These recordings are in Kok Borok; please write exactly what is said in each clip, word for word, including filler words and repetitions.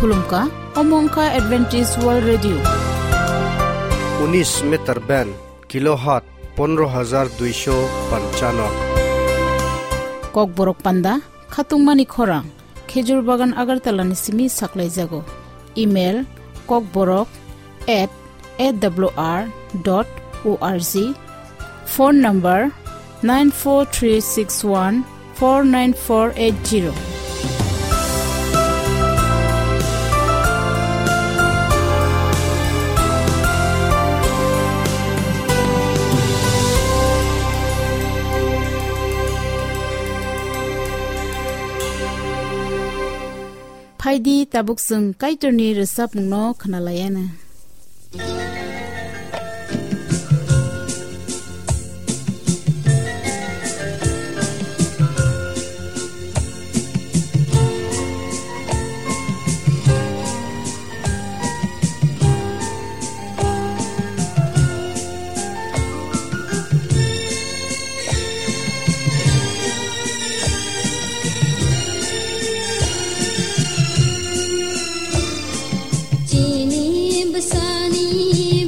Khulumkha, omo wngkha Adventist World Radio. Unis meter band, kilohertz pondro hajar duisho panchano. Kokborok panda, khatungmani khorang, Khejur Bagan Agartala ni simi saklaijago. Email, kokborok at A W R dot O R G. Phone number nine four three six one four nine four eight zero. Phaidi tabuk chwng Kaitorni rwchapmungno khwnalaiana. Chini bwsani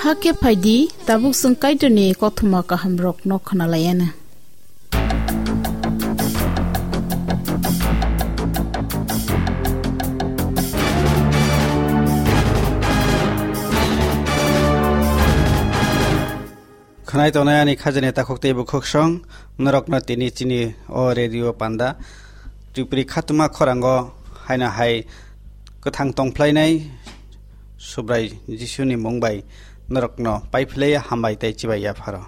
Hakhe phaidi, tabuk chwng Kaitorni kothoma kahamrokno khwnalaianw. Khwnai tongnai ani khajani takhuk tei bukhuksong, norokno tini chini o radio panda Tripuri khatuma khorango haino hai kwthang tongphlainai Subrai Jisuni mung bai norokno paiphlaiya hambai tei chibai yapharo.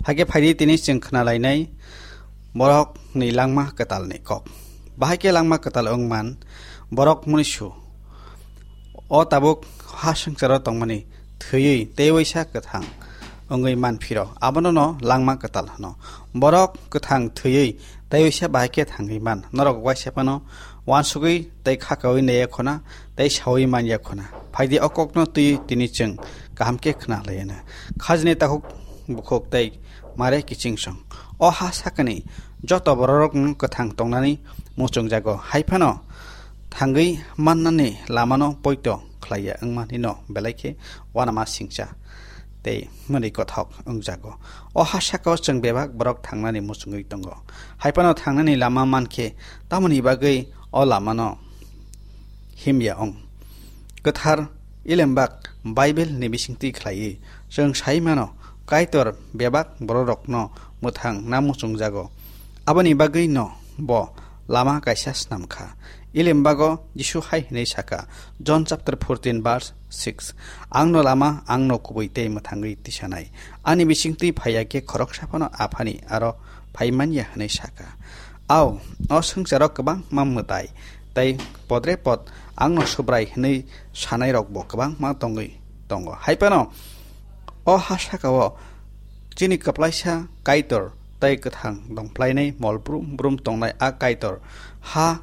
Hakhe phaidi tini chwng khwnalainai borokni langma kwtalni kok. Bahai khe langma kwtal wngman borok mwnwisu. O tabuk ha swngcharo tongmani thwiwi tei waisa kwthang wngwi man phiro, abono no langma kwtal hwno. Borok kwthang thwiwi tei waisa bahai khe thangwi man. Norok waisa phano uansugwi tei khakaui naiya khuna tei saui manya khuna. Phaidi o kokno twiwi tini chwng kaham khe khna laiyana. Khajni takhuk bukhuk tei mare kiching song. O ha sakani joto bororokno kwthang tongnani muchungjago. Hai phano thangwi mannani lamano poito khlaiya wngmani no belai khe uanama singcha tei mwnwi kothok wngjago. O ha sakao chwng bebak borok thangnani muchungwi tongo. Hai phano thangnani lama mankhe tamoni bagwi o lamano himya wng. Kwthar Ilembak Bible ni bisingtwi khlaiwi chwng sai mano, Kaitor bebak bororokno mwthang na muchungjago. Aboni bagwi no bo lama kaisa snam kha. Ilembago Jisu hai hwnwi saka, John chapter fourteen verse six, "Ang no lama, ang no kubui tei mwthangwi tisanai. Ani bisingtwi phaiya khe khoroksa phano Aphani aro phai manya," hwnwi saka. Ao, o swngcharo kwbangma mwtai tei podre pod ang no Subrai hwnwi sanairokbo kwbangma tongwi tongo. Hai phano o ha sakao chini kwplaisa Kaitor tei kwthang dongphlainai mol brum brum tongnai a Kaitor ha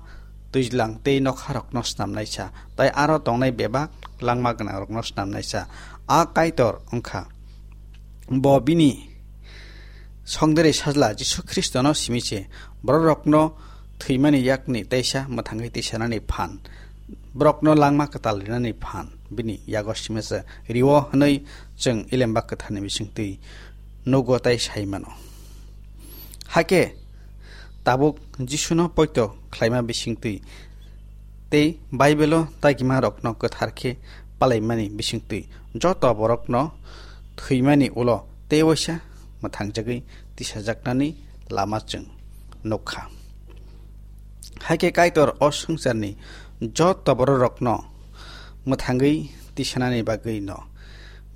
twijlang tei nokharokno snamnaisa tei aro tongnai bebak langma gwnangrokno snamnaisa. A Kaitor wngkha bo bini songdere sajla Jisu Khristono simi se bororokno thwimani yakni teisa mwthangwi tisanani phan, borokno langma kwtal rinani phan bini yago simi se rio hwnwi chwng Ilemba Kwtharni bisingtwi nugo tei sai mano. Hakhe tabuk Jisuno poito khlaima bisingtwi tei Baibelo dagimarokno kwthar khe palaimani bisingtwi joto borokno thwimani ulo tei waisa mwthangjagwi tisajaknani lama chwng nukha. Hakhe Kaitor o swngcharni joto bororokno mwthangwi tisanani bagwino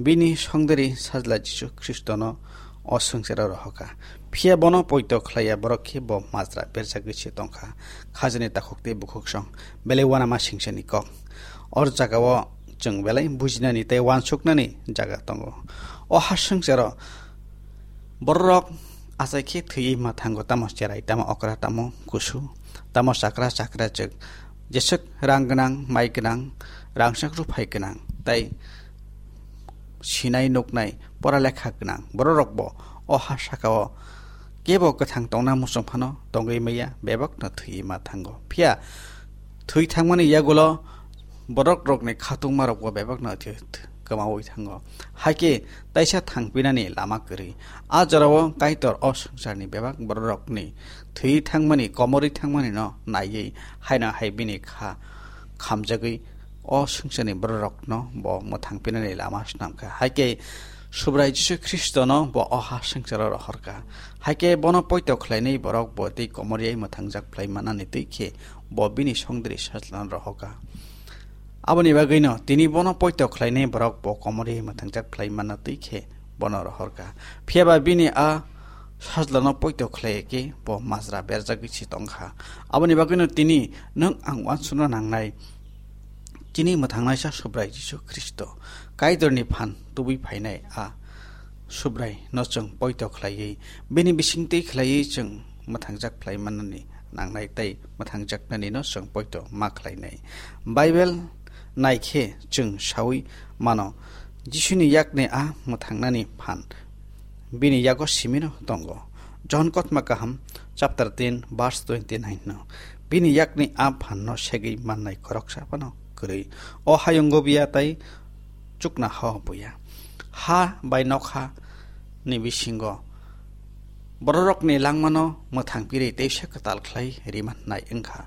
bini songderi sajla Jisu Khristono o swngcharo rohorkha. Phiya bono poito khlaiya borok khe bo majra berjagwi se tongkha. Khajani takhuk tei bukhuksong belai uanama singchani kok. Or jagao chwng belai bujinani tei uansuknani jaga tongo. O ha swngcharo bororok achai khe thwiwi ma thango, tamo cherai, tamo okra, tamo kusu, tamo chakra chakra chwk, jeswk rang gwnang, mai gwnang, rangchak ruphai gwnang tei sinai nuknai pora lekha gwnang bororokbo o ha sakao kebo kwthang tongna muchung phano tongwi maya, bebakno thwiwi ma thango. Phiya thwi thangmani yagulo borok rokni khatungmarokbo bebakno thwi-, thwi-, kwmawi thango. Hakhe taisa thangpinani lama kwrwi. A jorao Kaitor o swngcharni bebak bororokni thwi thangmani, komorwi thangmani no naiwi haino hai bini kha khamjagwi o swngcharni bororokno bo mwthangpinani lama swnamkha. Hakhe Subrai Jisu Khristono bo o ha swngcharo rohorkha. Hakhe bono poito khlainai borok bo tei komorwi mwthangjak phlai manani twi khe bo bini songdiri sajlano rohorkha. Aboni bagwino tini bono poito khlainai borok bo komorwi mwthangjak phlai manna twi khe bono rohorkha. Phiyaba bini a sajlano poito khlai khe bo majra berjagwi se tongkha. Aboni bagwino tini nwng ang uansukna nangnai, chini mwthangnaisa Subrai Jisu Khristo Kaitorni phan tubui phainai a Subrai no chwng poito khlaiwi, bini bisingtwi khlaiwi chwng mwthangjak phlai manani nangnai tei mwthangjaknani no chwng poito ma khlainai. Bible nai khe chwng saui mano, Jisuni yakni a mwthangnani phan bini yago simino tongo. John Kotma Kaham chapter ten verse twenty nine no, bini yakni a phan no segwi mannai khoroksa phano kwrwi. O hayungo biya tei chukna hao buya. ha bai nokha ni bisingo bororokni langmano mwthang pirwi teisa kwtal khlai rima hwnwi wngkha.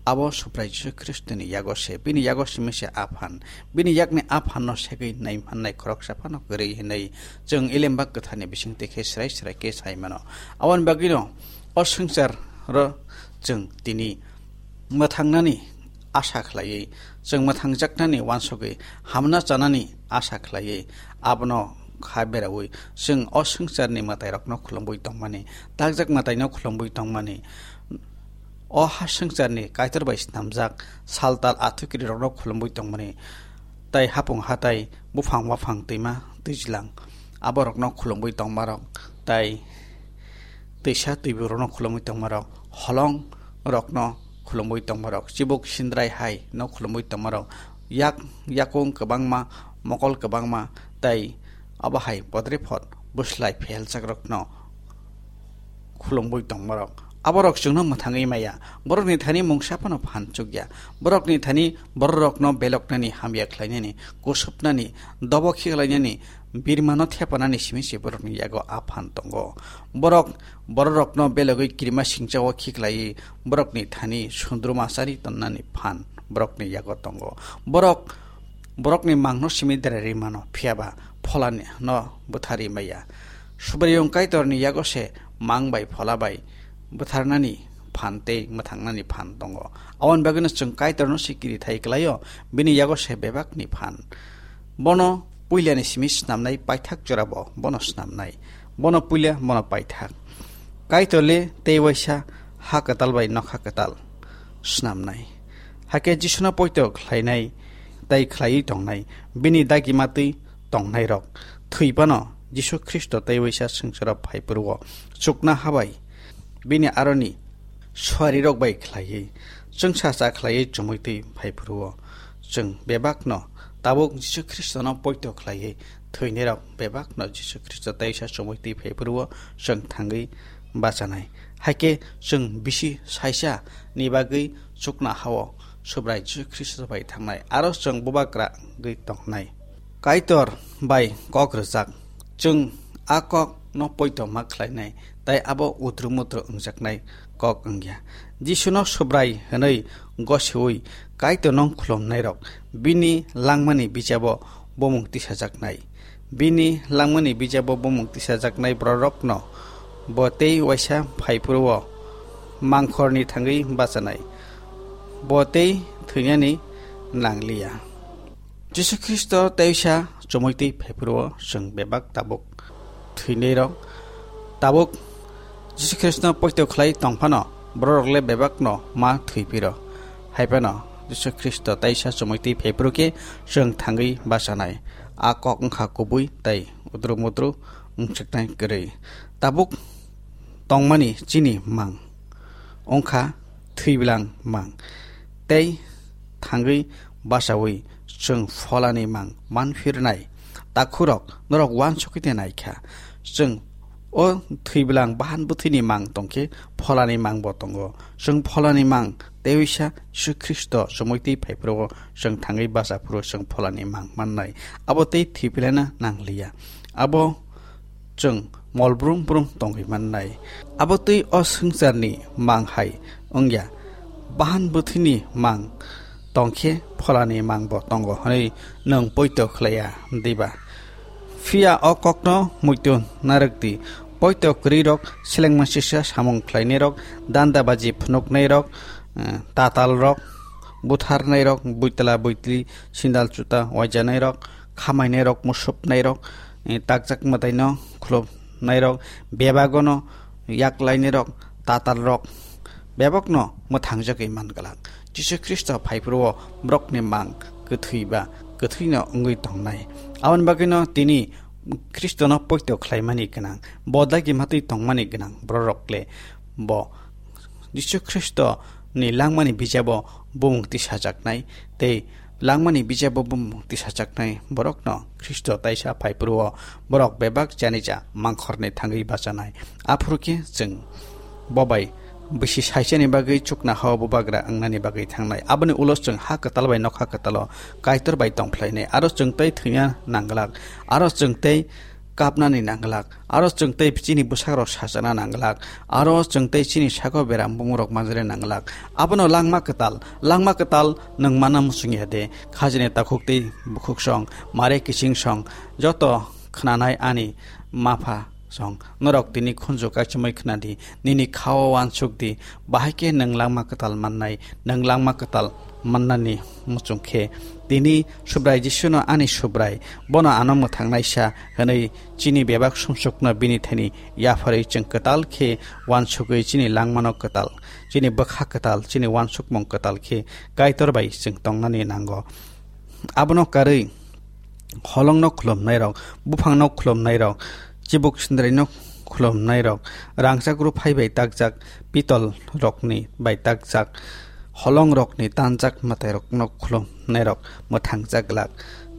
Abo Subrai Jisu Khristoni yago se, bini yago simi se aphan, bini yakni aphanno segwi nai mannai khoroksa phano kwrwi hwnwi chwng Elembak Kwtharni bisingtwi khe srai srai khe sai mano. Aboni bagwino o swngcharo chwng tini mwthangnani asa khlaiwi, chwng mwthangjaknani uansugwi hamna chanani asa khlaiwi, abono kha beraui chwng o swngcharni mwtairokno khulumwi tongmani, takjak mwtaino khulumwi tongmani, o ha swngcharni Kaitor bai snamjak sal tal athukirirokno khulumwi tongmani, tai hapung hatai, buphang waphang, twima twijlang, aborokno khulumwi tongmarok, tai twisa twiburokno khulumwi tongmarok, holong rokno khulumwi tongmarok, chibuk sindrai hai no khulumwi tongmarok, yak yakung kwbangma, mokol kwbangma, tai abo hai bodre phot bwslai phelchakrokno khulumwi tongmarok. Aborok chwngno mwthangwi maya, borokni thani mungsa phano phan chukya, borokni thani bororokno beloknani, hamya khlainani, kusupnani, dobo khiklainani, birmano thepanani simi se borokni yago aphan tongo. Borok bororokno belogwi kirima singchao khiklaiwi borokni thani sundruma chari tonnani phan borokni yago tongo. Borok borokni mangno simi derari mano, phiyaba pholani no bwtharwi maya. Subraiyung Kaitorni yago se mang bai phola bai bwtharnani phan tei mwthangnani phan tongo. Aboni bagwino chwng Kaitorno sikiri thai klaio, bini yago se bebakni phan. Bono puilani simi snamnai, paithak jorabo bono snamnai. Bono puila, bono paithak. Kaitor le tei waisa ha kwtal bai nokha kwtal snamnai. Hakhe Jisuno poito khlainai tai khlaiwi tongnai, bini dagi matwi tongnairok thwi phano Jisu Khristo tei waisa swngcharo phai phuru-o chukna habai bini aroni suarirok bai khlaiwi chwngsacha khlaiwi chumui twi phai phuru-o chwng bebakno tabuk Jisu Khristono poito khlaiwi thwinairok bebakno Jisu Khristo teisa chumui twi phai phuru-o chwng thangwi bachanai. Hakhe chwng bisi saisa ni bagwi chukna hao Subrai Jisu Khristo bai thangnai, aro chwng bubagra wngwi tongnai. Kaitor bai kok rwjak, chwng a kok no poito ma khlainai, tai abo utru mutru wngjaknai kok wngya. Jisuno Subrai hwnwi gosiui Kaitorno khulumnairok bini langmani bijabo bumung tisajaknai. Bini langmani bijabo bumung tisajaknai bororokno bo tei waisa phai phuru-o mangkhorni thangwi bachanai. Bo tei thwinani nangliya. Jisu Khristo teisa chumui twi phai phuru-o chwng bebak tabuk thwinairok, tabuk Jisu Khristo poito khlai tong phano bororok le bebakno ma thwi phiro. Hai phano Jisu Khristo teisa chumui twi phai phuru khe chwng thangwi bachanai. A kok wngkha kubui tei utru mutru wngchuknai kwrwi. Tabuk tongmani chini mang wngkha thwibwlang mang, tei thangwi bachaui chwng pholani mang manphirnai. Takhurok, norok uansukwi naikha, chwng o thwibwlang bahan bwthwini mang tongkhe pholani mangbo tongo. Chwng pholani mang tei wisa Jisu Khristo chumui twi phai phuru-o chwng thangwi bacha phuru chwng pholani mang mannai. Abo tei thwibwlana nangliya. Abo chwng mol brum brum tongwi mannai. Abo twi o swngcharni mang hai wngya. Bahan bwthwini mang tongkhe pholani mangbo tongo hwnwi nwng poito khlaiya diba? Phiya o kokno muitu narwk di. Poito kwrwirok, selengma sisa samung khlainairok, dandabaji phunuknairok, eh, tatalrok, butharnairok, buitla buitli, sindal chuta waijanairok, khamainairok, musupnairok, eh, takjak mwtaino khulumnairok, bebagono yaklainairok, tatalrok, bebakno mwthangjagwi man glak. Jisu Khristo phai phuru-o borokni mang kwthwi ba kwthwino wngwi tongnai. Aboni bagwino tini Khristono poito khlaimani gwnang, bo dagi matwi tongmani gwnang bororok le bo Jisu Khristo ni langmani bijabo bumung tisajaknai, tei langmani bijabo bumung tisajaknai borokno Khristo taisa phai phuru-o borok bebak janija mangkhorni thangwi bachanai. Aphuru khe chwng bo bai bisi saisani bagwi chukna hao bubagra wngnani bagwi thangnai. Aboni ulo chwng ha kwtal bai nokha kwtalo Kaitor bai tongphlainai. Aro chwng tei thwina nangglak, aro chwng tei kapnani nangglak, aro chwng tei chini bwsakrok sachana nangglak, aro chwng tei chini sako beram bumurok manjari nangglak. Abono langma kwtal, langma kwtal nwng mana muchung ya de? Khajini takhuk tei bukhuk song, mare kiching song, joto khwnanai ani mapha song, norok tini khunju kaichomwi khwnadi, nini khao wansuk di, bahai khe nwng langma kwtal mannai, nwng langma kwtal mannani muchung khe tini Subrai Jisuno ani Subrai, bono ano mwthangnaisa hwnwi chini bebak sumsokno bini thani yapharwi chwng kwtal khe wansugwi chini langmano kwtal, chini bwkha kwtal, chini wansukmung kwtal khe Kaitor bai chwng tongnani nango. Abono karwi holongno khulumnairok, buphangno khulumnairok, chibuk sindrino khulumnairok, rangchak ruphai bai takjak pitol rokni bai takjak holong rokni tanjak mwtai rokno khulumnai rok mwthang jak glak.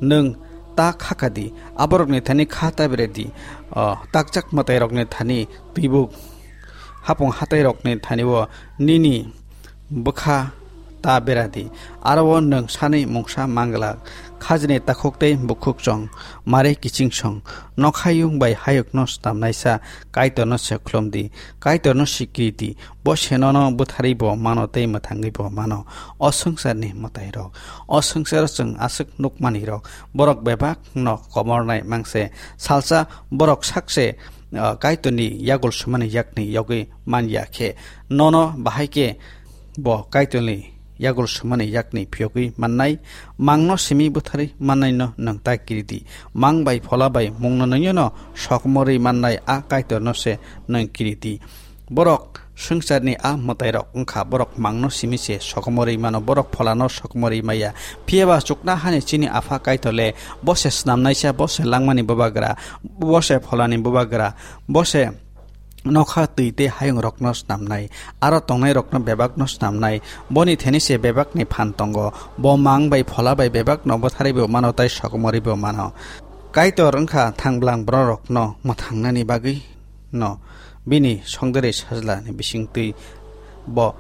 Nwng ta kha kha di, aborokni thani kha ta bere di, o takjak mwtai rokni thani twibuk hapung hatai rokni thani o nini bwkha ta bera di, aro o nwng sani mungsa mang glak. Khajini takhuk tei bukhuk chong, mare kiching song, nokhayung bai hayukno snamnaisa Kaitorno se khulum di, Kaitorno sikiri di, bo se nono bwtharwi bo mano tei mwthangwi bo mano. O swngcharni mwtairok, o swngcharo chwng aswk nukmanirok, borok bebakno komornai mangse, salsa borok sakse, ah, Kaitorni yagul sumani yakni yogwi man ya khe, nono bahai khe bo Kaitorni yagul sumani yakni phiyogwi mannai, mangno simi bwtharwi mannaino nwng ta kiri di. Mang bai phola bai mungno nwngyano sokomorwi mannai a Kaitorno se nwng kiri di. Borok swngcharni a mwtairok wngkha, borok mangno simi se sokomorwi mano, borok pholano sokomorwi maya. Phiyaba chukna hani chini Apha Kaitor le, bo se snamnaisa, bo se langmani bubagra, bo se pholani bubagra, bo se nokha twi tei hayung rokno snamnai, aro tongnai rokno bebakno snamnai, boni thani se bebakni phan tongo, bo mang bai phola bai bebakno bwtharwi bo mano tei sokomorwi bo mano. Kaitor wngkha thang blang borok rokno mwthangnani bagwi no bini songdorwi sajlani bisingtwi bo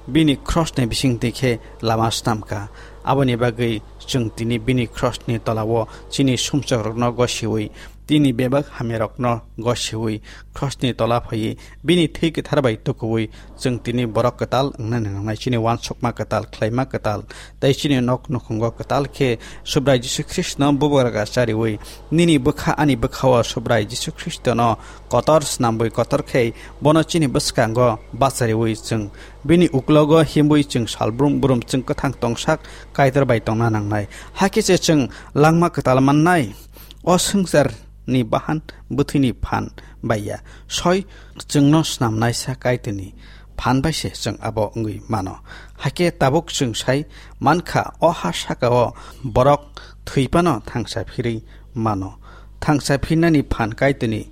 bini krosni bisingtwi khe lama snamkha. Aboni bagwi chwng tini bini krosni tolao chini sumsokrokno gosiwi, tini bebak hamyarokno gosiwi, krosni tola phaiwi, bini thwi kwthar bai tukuwi, chwng tini borok kwtal wngnani nangnai, chini uansukma kwtal, khlaima kwtal, tei chini nok nukhungo kwtal khe Subrai Jisu Khristno bubagra chariwi, nini bwkha ani bwkhao Subrai Jisu Khristono kotor snamwi kotor khe bono chini bwskango bachariwi chwng bini uklogo himwi chwng salbrum brum chwng kwthang tongsak Kaitor bai tongna nangnai. Hakhe se chwng langma kwtal mannai. O swngcharni bahan bwthwini phan bai ya. Soi chwngno snamnaisa Kaitorni phan bai se chwng abo wngwi mano. Hakhe tabuk chwng sai mankha, o ha sakao borok thwi phano thangsa phirwi mano. Thangsa phinnani phan Kaitorni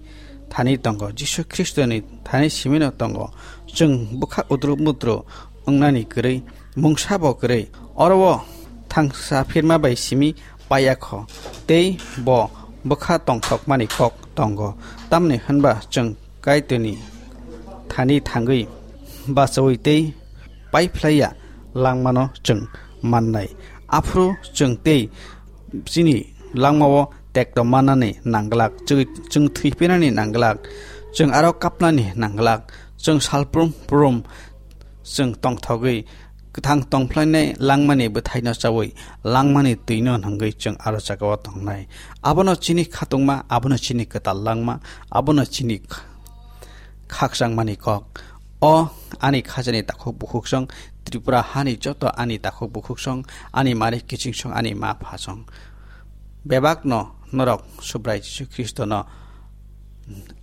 thani tongo, Jisu Khristoni thani simino tongo. Chwng bwkha udru mudru wngnani kwrwi, mungsa bo kwrwi. Oro o thangsa phirma bai simi paiya kho, tei bo bwkha tongthokmani kok tongo. Tamni hwnba chwng Kaitorni thani thangwi bachaui tei paiphlaiya langmano chwng mannai. Aphuru chwng tei chini langmao tekto manani nangglak, chwng, chwng thwi phinani nangglak, chwng aro kapnani nangglak, chwng salprum prum chwng tongthogwi kwthang tongphlainai langmani bwthaino chaui langmani twino nangwi chwng aro jagao tongnai. Abono chini khatungma, abono chini kwtal langma, abono chini kh-, khakchangmani kok. O ani khajani takhuk bukhuksong, Tripura hani joto ani takhuk bukhuksong, ani mari kichingsong, ani ma phasong. Bebakno norok Subrai Jisu Khristono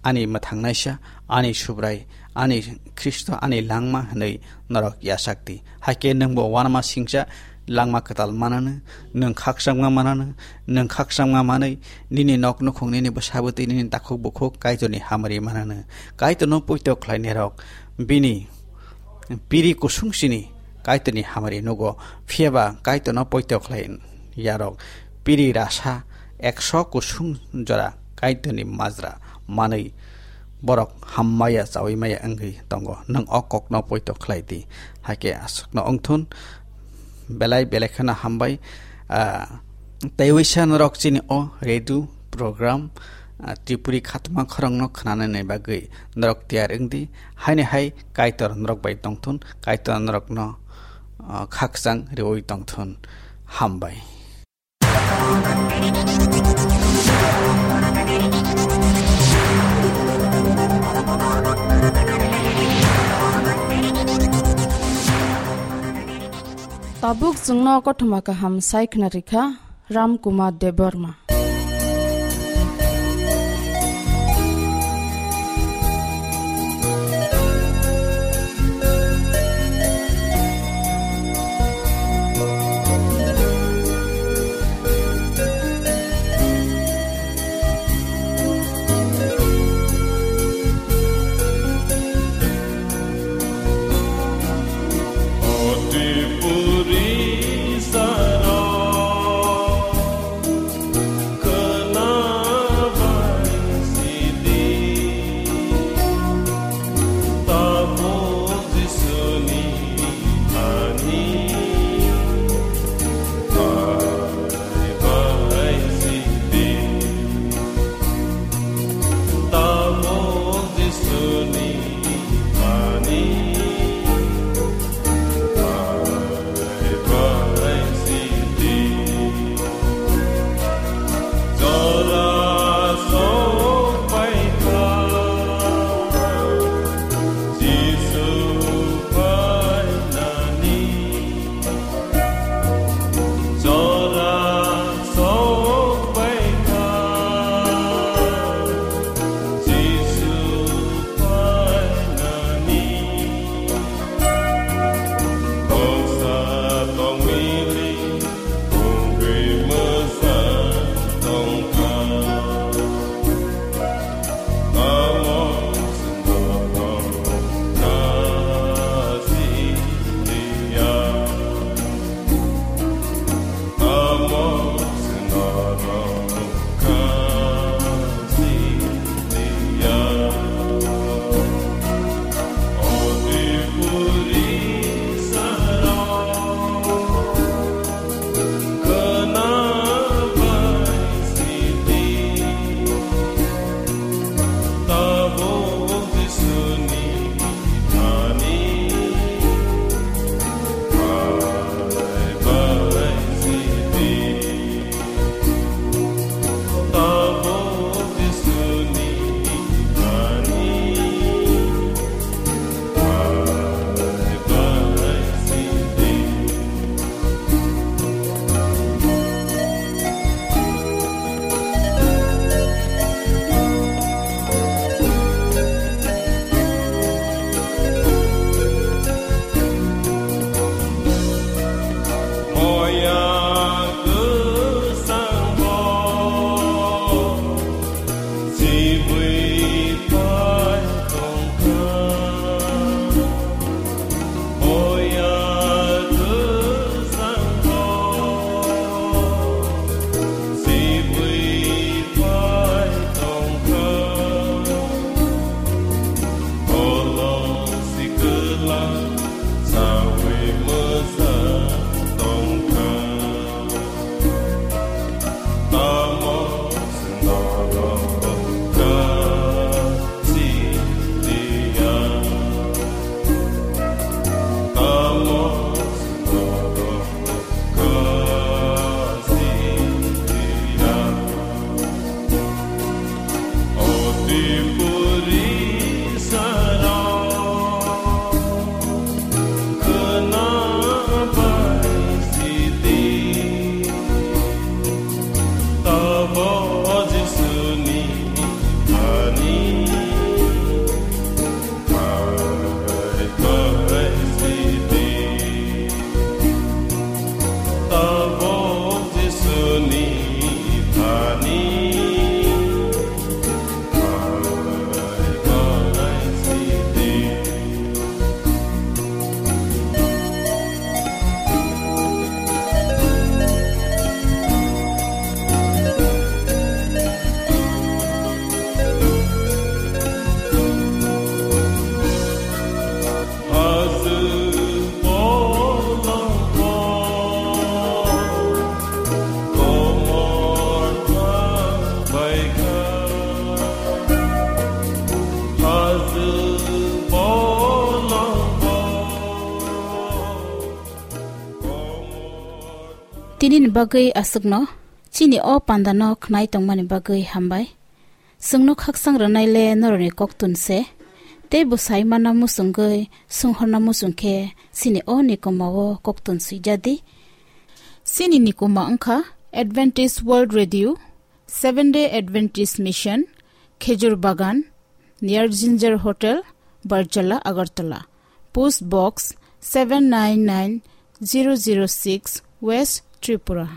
ani mwthangnaisa, ani Subrai, ani Khristo, ani langma hwnwi norok yachak di. Hakhe nwngbo uanama singcha langma kwtal mananw, nwng khakchangma mananw, nwng khakchangma manwi nini nok nukhung, nini bwsa bwtwi, nini takhuk bukhuk Kaitorni hamari mananw. Kaitorno poito khlainairok bini piri kusung sini Kaitorni hamari nugo, phiyaba Kaitorno poito khlai yarok piri rasa ekso kusung jora Kaitorni majra manwi borok hammaya chawi maya wngwi tongo. Nwng o kokno poito khlai di. Haikhe aswkno wngthun, belai belai kheno hambai. Ah, tei waisa norok chini o radio program, ah, Tripuri khatma khorokno khnanani bagwi norok tiyar wng di. Haini hai Kaitor norok bai tongthun, Kaitor norokno, ah, khakchang riwi tongthun. Hambai. Tabuk chwngno kothoma kaham sai khna rikha Ram Kumar Debbarma. Bagwi aswkno chini o pandano khnai tongmani bagwi hambai. Chwngno khaksang rwnaile norokni koktun se. Tei bwsai mana muchungwi songhorna muchung khe chini o nikoma o koktun swijadi. Chini nikoma wngkha Adventist World Radio, Seventh Day Adventist Mission, Khejur Bagan, near Ginger Hotel, Barjala, Agartala. Post Box seven nine nine zero zero six, West Tripura.